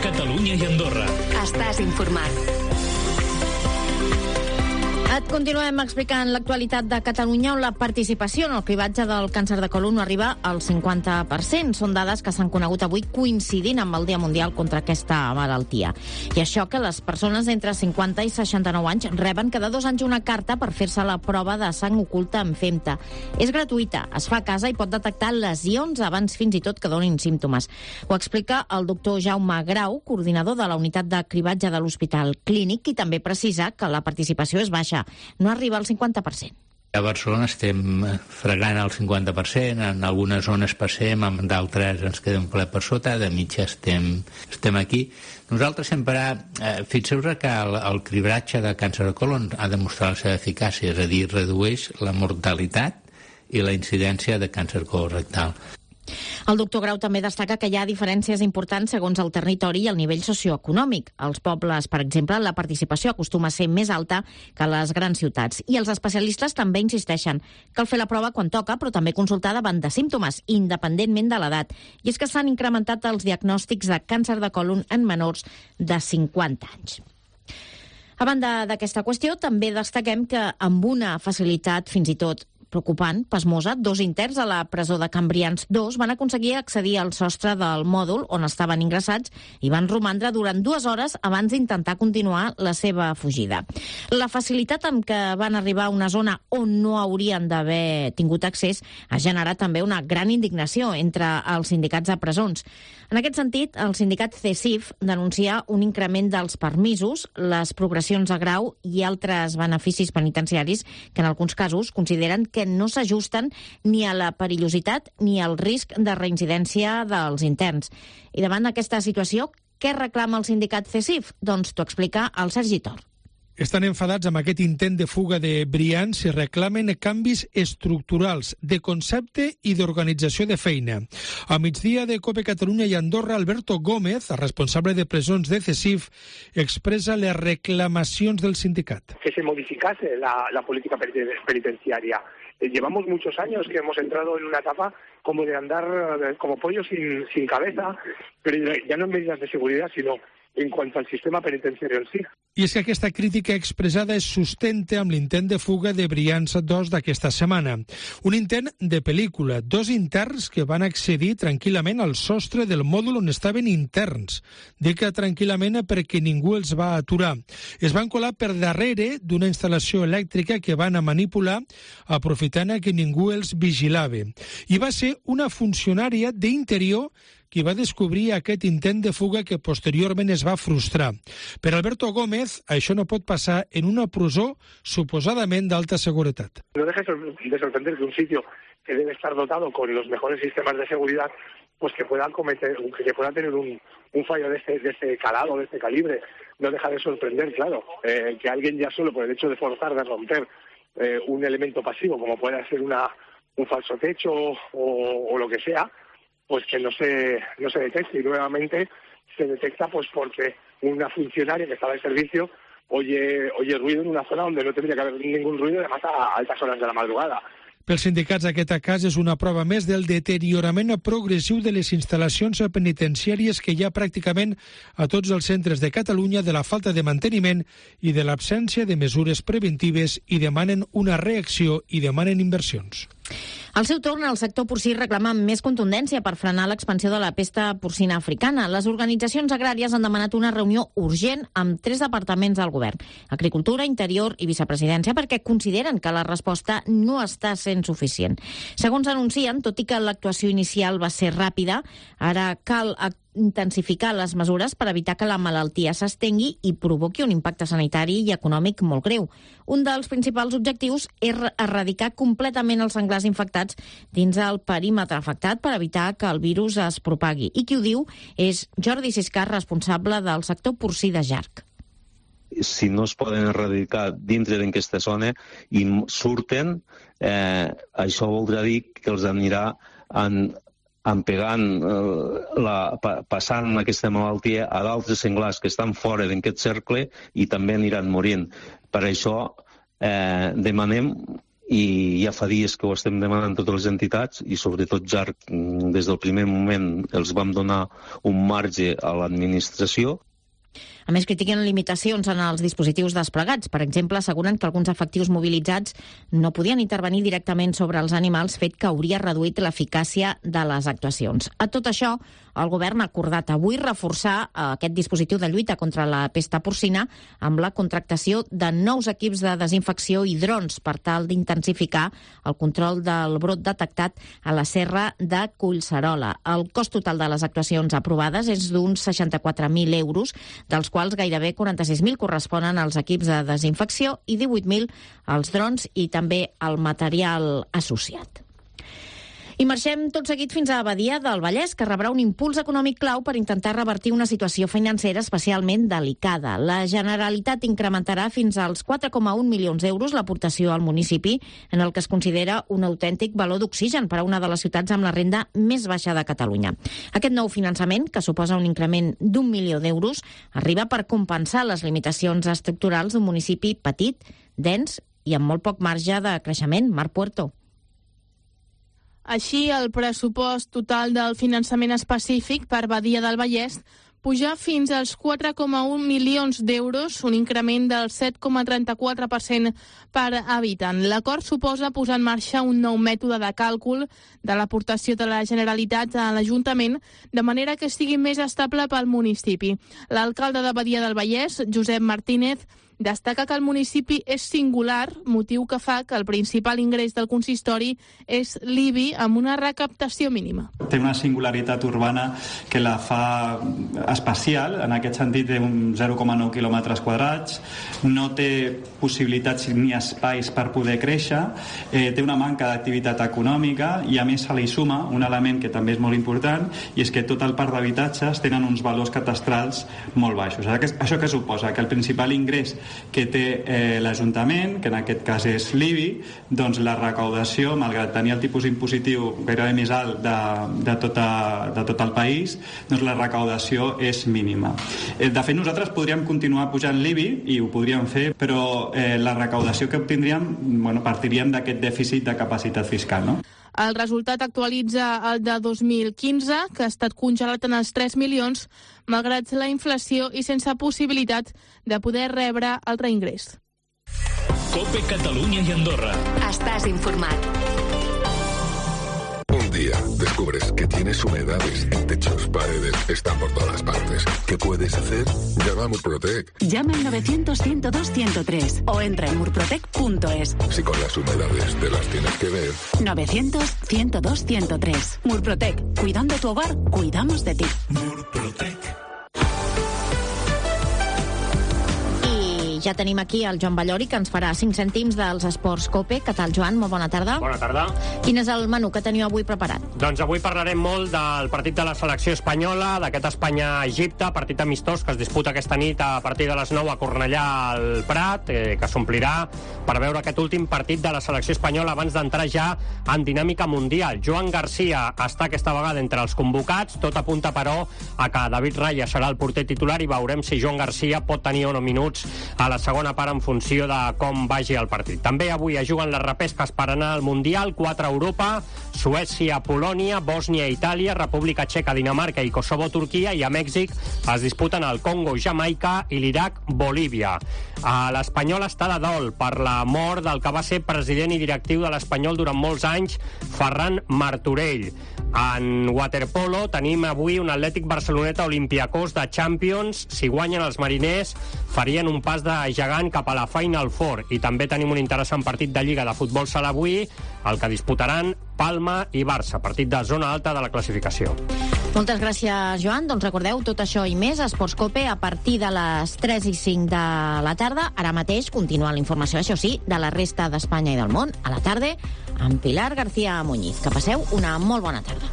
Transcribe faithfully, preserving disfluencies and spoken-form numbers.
Catalunya i Andorra. Estàs informat. Et continuem explicant l'actualitat de Catalunya, on la participació en el cribatge del càncer de colon no arriba al cinquanta per cent. Són dades que s'han conegut avui coincidint amb el Dia Mundial contra aquesta malaltia. I això que les persones d'entre cinquanta i seixanta-nou anys reben cada dos anys una carta per fer-se la prova de sang oculta amb FEMTA. És gratuïta, es fa a casa i pot detectar lesions abans fins i tot que donin símptomes. Ho explica el doctor Jaume Grau, coordinador de la unitat de cribatge de l'Hospital Clínic, i també precisa que la participació és baixa. No arriba al cinquanta per cent. A Barcelona estem fregant el cinquanta per cent, en algunes zones passem, en d'altres ens quedem ple per sota, de mitja estem, estem aquí. Nosaltres sempre, eh, fixeu-vos que el, el cribratge de càncer de colon ha demostrat la seva eficàcia, és a dir, redueix la mortalitat i la incidència de càncer colorectal. El doctor Grau també destaca que hi ha diferències importants segons el territori i el nivell socioeconòmic. Als pobles, per exemple, la participació acostuma a ser més alta que a les grans ciutats. I els especialistes també insisteixen. Cal fer la prova quan toca, però també consultar davant de símptomes, independentment de l'edat. I és que s'han incrementat els diagnòstics de càncer de colon en menors de cinquanta anys. A banda d'aquesta qüestió, també destaquem que amb una facilitat fins i tot preocupant, pasmosa, dos interns a la presó de Cambrians dos van aconseguir accedir al sostre del mòdul on estaven ingressats i van romandre durant dues hores abans d'intentar continuar la seva fugida. La facilitat amb què van arribar a una zona on no haurien d'haver tingut accés ha generat també una gran indignació entre els sindicats de presons. En aquest sentit, el sindicat C E S I F denuncia un increment dels permisos, les progressions a grau i altres beneficis penitenciaris que en alguns casos consideren que no s'ajusten ni a la perillositat ni al risc de reincidència dels interns. I davant d'aquesta situació, què reclama el sindicat C E S I F? Doncs t'ho explica el Sergi Tor. Estan enfadats amb aquest intent de fuga de Brians i reclamen canvis estructurals de concepte i d'organització de feina. A migdia de COPE Catalunya i Andorra, Alberto Gómez, el responsable de presons de C E S I F, expresa les reclamacions del sindicat. Que se modificase la, la política penitenciaria. Eh, llevamos muchos años que hemos entrado en una etapa como de andar eh, como pollos sin, sin cabeza, pero ya no en medidas de seguridad, sino en cuanto al sistema penitenciario en sí. I és que aquesta crítica expressada es sustenta amb l'intent de fuga de Brians dos d'aquesta setmana. Un intent de pel·lícula, dos interns que van accedir tranquil·lament al sostre del mòdul on estaven interns. Dic que tranquil·lament perquè ningú els va aturar. Es van colar per darrere d'una instal·lació elèctrica que van a manipular, aprofitant que ningú els vigilava. I va ser una funcionària d'interior qui va descobrir aquest intent de fuga que posteriorment es va frustrar. Per Alberto Gómez, això no pot passar en una presó suposadament d'alta seguretat. No deja de sorprender que un sitio que debe estar dotado con los mejores sistemas de seguridad, pues que puedan cometer, que pueda tener un, un fallo de este, de este calado, de este calibre. No deja de sorprender, claro, eh, que alguien ya solo por el hecho de forzar, de romper eh, un elemento pasivo, como puede ser una, un falso techo o, o lo que sea, pues que no se no se detecte, y nuevamente se detecta pues porque una funcionaria que estaba en servicio oye oye ruido en una zona donde no tendría que haber ningún ruido, además a altas horas de la madrugada. Pels sindicats, aquest cas és una prova més del deteriorament progressiu de les instal·lacions penitenciàries que hi ha pràcticament a tots els centres de Catalunya, de la falta de manteniment i de l'absència de mesures preventives, i demanen una reacció i demanen inversions. Al seu torn, el sector porcí reclama més contundència per frenar l'expansió de la pesta porcina africana. Les organitzacions agràries han demanat una reunió urgent amb tres departaments del govern, Agricultura, Interior i Vicepresidència, perquè consideren que la resposta no està sent suficient. Segons anuncien, tot i que l'actuació inicial va ser ràpida, ara cal intensificar les mesures per evitar que la malaltia s'estengui i provoqui un impacte sanitari i econòmic molt greu. Un dels principals objectius és erradicar completament els senglars infectats dins el perímetre afectat per evitar que el virus es propagui. I qui ho diu és Jordi Siscar, responsable del sector porcí de Jarc. Si no es poden erradicar dintre d'aquesta zona i surten, eh, això voldrà dir que els anirà en empegant, eh, la, pa, passant aquesta malaltia a d'altres senglars que estan fora d'aquest cercle i també aniran morint. Per això eh, demanem i ja fa dies que ho estem demanant totes les entitats i sobretot ja des del primer moment els vam donar un marge a l'administració. A més, critiquen limitacions en els dispositius desplegats. Per exemple, asseguren que alguns efectius mobilitzats no podien intervenir directament sobre els animals, fet que hauria reduït l'eficàcia de les actuacions. A tot això, el govern ha acordat avui reforçar aquest dispositiu de lluita contra la pesta porcina amb la contractació de nous equips de desinfecció i drons per tal d'intensificar el control del brot detectat a la serra de Collserola. El cost total de les actuacions aprovades és d'uns seixanta-quatre mil euros, dels quals gairebé quaranta-sis mil corresponen als equips de desinfecció i divuit mil als drons i també al material associat. I marxem tot seguit fins a Badia del Vallès, que rebrà un impuls econòmic clau per intentar revertir una situació financera especialment delicada. La Generalitat incrementarà fins als quatre coma un milions d'euros l'aportació al municipi, en el que es considera un autèntic baló d'oxigen per a una de les ciutats amb la renda més baixa de Catalunya. Aquest nou finançament, que suposa un increment d'un milió d'euros, arriba per compensar les limitacions estructurals d'un municipi petit, dens i amb molt poc marge de creixement. Marc Puerto. Així, el pressupost total del finançament específic per Badia del Vallès puja fins als quatre coma un milions d'euros, un increment del set coma trenta-quatre per cent per habitant. L'acord suposa posar en marxa un nou mètode de càlcul de l'aportació de la Generalitat a l'Ajuntament, de manera que sigui més estable pel municipi. L'alcalde de Badia del Vallès, Josep Martínez, destaca que el municipi és singular, motiu que fa que el principal ingrés del consistori és l'I B I amb una recaptació mínima. Té una singularitat urbana que la fa especial, en aquest sentit té un zero coma nou quilòmetres quadrats, no té possibilitats ni espais per poder créixer, eh, té una manca d'activitat econòmica i a més se li suma un element que també és molt important i és que tot el parc d'habitatges tenen uns valors catastrals molt baixos. Això què suposa? Que el principal ingrés que té eh, l'Ajuntament, que en aquest cas és l'I B I, doncs la recaudació, malgrat tenir el tipus impositiu gairebé més alt de, de, tota, de tot el país, doncs la recaudació és mínima. Eh, de fet, nosaltres podríem continuar pujant l'I B I i ho podríem fer, però eh, la recaudació que obtindríem, bueno, partiríem d'aquest dèficit de capacitat fiscal, no? El resultat actualitza el de dos mil quinze, que ha estat congelat en els tres milions, malgrat la inflació i sense possibilitat de poder rebre el reingrés. COPE Catalunya i Andorra. Estàs informat. Un día descubres que tienes humedades en techos, paredes, están por todas partes. ¿Qué puedes hacer? Llama a Murprotec. Llama al novecientos, ciento dos, ciento tres o entra en murprotec punto es. Si con las humedades te las tienes que ver. novecientos, ciento dos, ciento tres. Murprotec. Cuidando tu hogar, cuidamos de ti. Murprotec. Ja tenim aquí el Joan Ballori, que ens farà cinc cèntims dels esports COPE. Què tal, Joan? Molt bona tarda. Bona tarda. Quin és el menú que teniu avui preparat? Doncs avui parlarem molt del partit de la selecció espanyola, d'aquest Espanya-Egipte, partit amistós que es disputa aquesta nit a partir de les nou a Cornellà al Prat, eh, que s'omplirà per veure aquest últim partit de la selecció espanyola abans d'entrar ja en dinàmica mundial. Joan Garcia està aquesta vegada entre els convocats, tot apunta, però, a que David Raya serà el porter titular i veurem si Joan Garcia pot tenir o no minuts a la segona part en funció de com vagi el partit. També avui es juguen les repesques per anar al Mundial, quatre a Europa, Suècia, Polònia, Bòsnia, Itàlia, República Txeca, Dinamarca i Kosovo, Turquia, i a Mèxic es disputen el Congo, Jamaica i l'Iraq, Bolívia. L'Espanyol està de dol per la mort del que va ser president i directiu de l'Espanyol durant molts anys, Ferran Martorell. En waterpolo tenim avui un Atlètic Barceloneta Olympiacos de Champions. Si guanyen els mariners, farien un pas de gegant cap a la Final Four. I també tenim un interessant partit de Lliga de Futbol Sala avui, el que disputaran Palma i Barça, partit de zona alta de la classificació. Moltes gràcies, Joan. Doncs recordeu tot això i més a Esports COPE a partir de les tres i cinc de la tarda. Ara mateix continua la informació, això sí, de la resta d'Espanya i del món a la tarda amb Pilar García Muñiz. Que passeu una molt bona tarda.